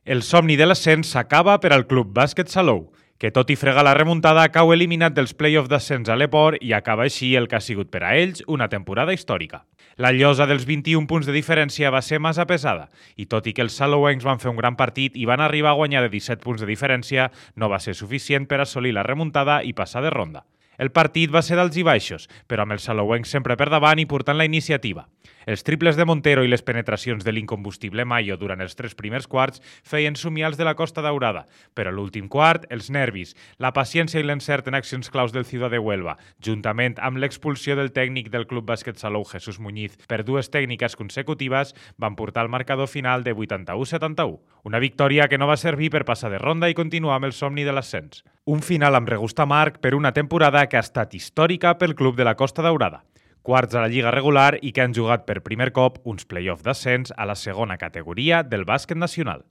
El somni de l'ascens s'acaba per al Club Bàsquet Salou, que tot i fregar la remuntada cau eliminat dels play-off d'ascens a l'Eport i acaba així el que ha sigut per a ells una temporada històrica. La llosa dels 21 punts de diferència va ser massa pesada i tot i que els salouencs van fer un gran partit i van arribar a guanyar de 17 punts de diferència, no va ser suficient per assolir la remuntada i passar de ronda. El partit va ser d'alts i baixos, però amb els salouencs sempre per davant i portant la iniciativa. Els triples de Montero i les penetracions de l'incombustible Mayo durant els 3 primers quarts feien somiar els de la Costa Daurada, però a l'últim quart, els nervis, la paciència i l'encert en accions claus del Ciudad de Huelva, juntament amb l'expulsió del tècnic del Club Bàsquet Salou, Jesús Muñiz, per 2 tècniques consecutives, van portar el marcador final de 81-71. Una victòria que no va servir per passar de ronda i continuar amb el somni de l'ascens. Un final amb regust amarg per una temporada que ha estat històrica pel club de la Costa Daurada. Quarts a la Lliga regular i que han jugat per primer cop uns play-off d'ascens a la segona categoria del bàsquet nacional.